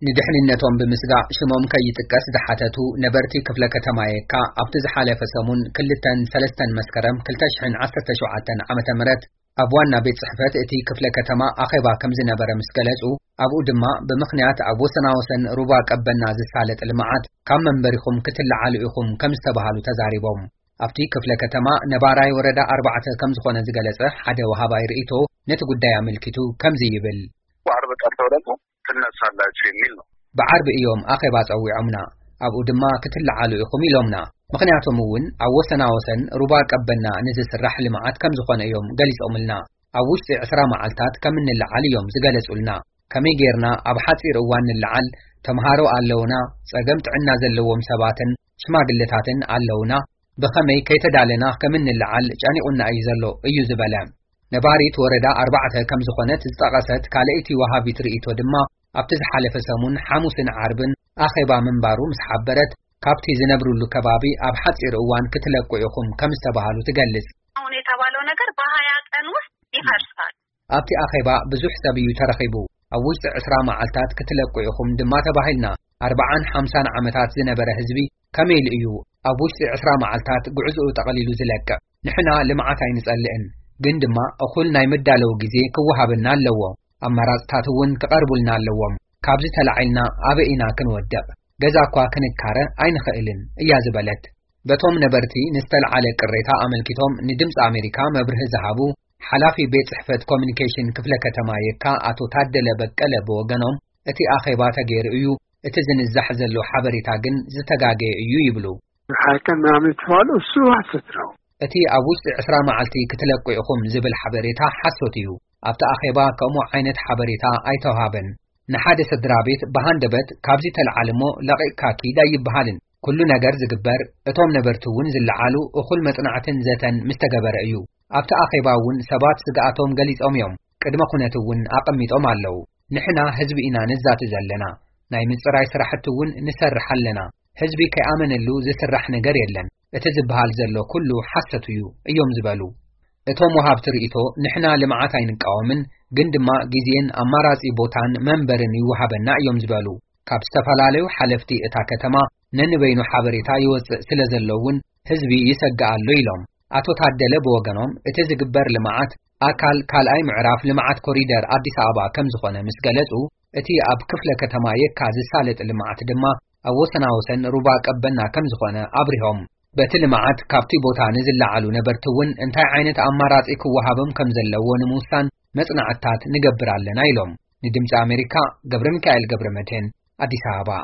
ንድሕንነቶም ብምስጋእ ሽሞም ከይጥቀስ ዝሓተቱ ነበርቲ ክፍለ ከተማ የካ፣ ኣብቲ ዝሓለፈ ሰሙን ክልተን ሰለስተን መስከረም ክልተ ሽሕን ዓሰርተ ሸውዓተን ዓመተ ምህረት ኣብ ዋና ቤት ጽሕፈት እቲ ክፍለ ከተማ ኣኼባ ከም ዝነበረ ምስ ገለጹ፣ ኣብኡ ድማ ብምኽንያት ኣብ ወሰናወሰን ሩባ ቀበና ዝሳለጥ ልምዓት ካብ መንበሪኹም ክትለዓሉ ኢኹም ከም ዝተባሃሉ ተዛሪቦም። ኣብቲ ክፍለ ከተማ ነባራይ ወረዳ ኣርባዕተ ከም ዝኾነ ዝገለጸ ሓደ ወሃባይ ርእይቶ ነቲ ጉዳይ ኣመልኪቱ ከምዚ ይብል። በዓርብ ቀን ተብለና ትነሳላችሁ የሚል ነው። ብዓርቢ እዮም ኣኼባ ጸዊዖምና። ኣብኡ ድማ ክትለዓሉ ኢኹም ኢሎምና። ምኽንያቶም እውን ኣብ ወሰናወሰን ሩባ ቀበና ንዝስራሕ ልምዓት ከም ዝኾነ እዮም ገሊጾምልና። ኣብ ውሽጢ ዕስራ መዓልታት ከም እንለዓል እዮም ዝገለጹልና። ከመይ ጌርና ኣብ ሓጺር እዋን ንለዓል? ተምሃሮ ኣለውና፣ ጸገም ጥዕና ዘለዎም ሰባትን ሽማግለታትን ኣለውና። ብኸመይ ከይተዳለና ከም እንለዓል ጨኒቑና እዩ ዘሎ እዩ ዝበለ። ነባሪት ወረዳ ኣርባዕተ ከም ዝኾነት ዝጠቐሰት ካልኣይቲ ወሃቢት ርእይቶ ድማ ኣብቲ ዝሓለፈ ሰሙን ሓሙስን ዓርብን ኣኼባ ምንባሩ ምስ ሓበረት፣ ካብቲ ዝነብሩሉ ከባቢ ኣብ ሓጺር እዋን ክትለቁ ኢኹም ከም ዝተባሃሉ ትገልጽ። አሁን የተባለው ነገር በሃያ ቀን ውስጥ ይፈርሳል። ኣብቲ ኣኼባ ብዙሕ ሰብ እዩ ተረኺቡ። ኣብ ውሽጢ ዕስራ መዓልታት ክትለቁ ኢኹም ድማ ተባሂልና። ኣርባዓን ሓምሳን ዓመታት ዝነበረ ህዝቢ ከመይ ኢሉ እዩ ኣብ ውሽጢ ዕስራ መዓልታት ጉዕዝኡ ጠቕሊሉ ዝለቅቕ? ንሕና ልምዓት ኣይንጸልእን፣ ግን ድማ እኹል ናይ መዳለዊ ግዜ ክወሃበና ኣለዎ። ኣማራጽታት እውን ክቐርቡልና ኣለዎም። ካብዚ ተላዒልና ኣበይ ኢና ክንወድቕ? ገዛ እኳ ክንካረ ኣይንኽእልን እያ ዝበለት። በቶም ነበርቲ ንዝተልዓለ ቅሬታ ኣመልኪቶም ንድምፂ ኣሜሪካ መብርሂ ዝሃቡ ሓላፊ ቤት ጽሕፈት ኮሚኒኬሽን ክፍለ ከተማ የካ ኣቶ ታደለ በቀለ ብወገኖም፣ እቲ ኣኼባ ተገይሩ እዩ፣ እቲ ዝንዛሕ ዘሎ ሓበሬታ ግን ዝተጋገየ እዩ ይብሉ። ሓቂ ምናምን የተባለው እሱ ሐሰት ነው። እቲ ኣብ ውሽጢ ዕስራ መዓልቲ ክትለቁ ኢኹም ዝብል ሓበሬታ ሓሶት እዩ። ኣብቲ ኣኼባ ከምኡ ዓይነት ሓበሬታ ኣይተውሃበን። ንሓደ ስድራ ቤት ብሃንደበት ካብዚ ተልዓል እሞ ለቒቕካ ኪድ ኣይበሃልን። ኩሉ ነገር ዝግበር፣ እቶም ነበርቲ እውን ዝለዓሉ እኹል መጽናዕትን ዘተን ምስ ተገበረ እዩ። ኣብቲ ኣኼባ እውን ሰባት ስግኣቶም ገሊጾም እዮም። ቅድመ ኩነት እውን ኣቐሚጦም ኣለዉ። ንሕና ህዝቢ ኢና ንዛቲ ዘለና። ናይ ምጽራይ ስራሕቲ እውን ንሰርሕ ኣለና። ህዝቢ ከይኣመነሉ ዝስራሕ ነገር የለን። እቲ ዝበሃል ዘሎ ኩሉ ሓሰት እዩ እዮም ዝበሉ። እቶም ወሃብቲ ርእይቶ፣ ንሕና ልምዓት ኣይንቃወምን፣ ግን ድማ ግዜን ኣማራጺ ቦታን መንበርን ይወሃበና እዮም ዝበሉ። ካብ ዝተፈላለዩ ሓለፍቲ እታ ከተማ ነንበይኑ ሓበሬታ ይወጽእ ስለ ዘሎ እውን ህዝቢ ይሰግእ ኣሎ ኢሎም። ኣቶ ታደለ ብወገኖም፣ እቲ ዝግበር ልምዓት ኣካል ካልኣይ ምዕራፍ ልምዓት ኮሪደር ኣዲስ ኣበባ ከም ዝኾነ ምስ ገለጹ፣ እቲ ኣብ ክፍለ ከተማ የካ ዝሳለጥ ልምዓት ድማ ኣብ ወሰናወሰን ሩባ ቀበና ከም ዝኾነ ኣብሪሆም። በቲ ልምዓት ካብቲ ቦታ ንዝለዓሉ ነበርቲ እውን እንታይ ዓይነት ኣማራጺ ክወሃቦም ከም ዘለዎ ንምውሳን መጽናዕትታት ንገብር ኣለና ኢሎም። ንድምፂ ኣሜሪካ ገብረ ሚካኤል ገብረ መድህን፣ ኣዲስ ኣበባ።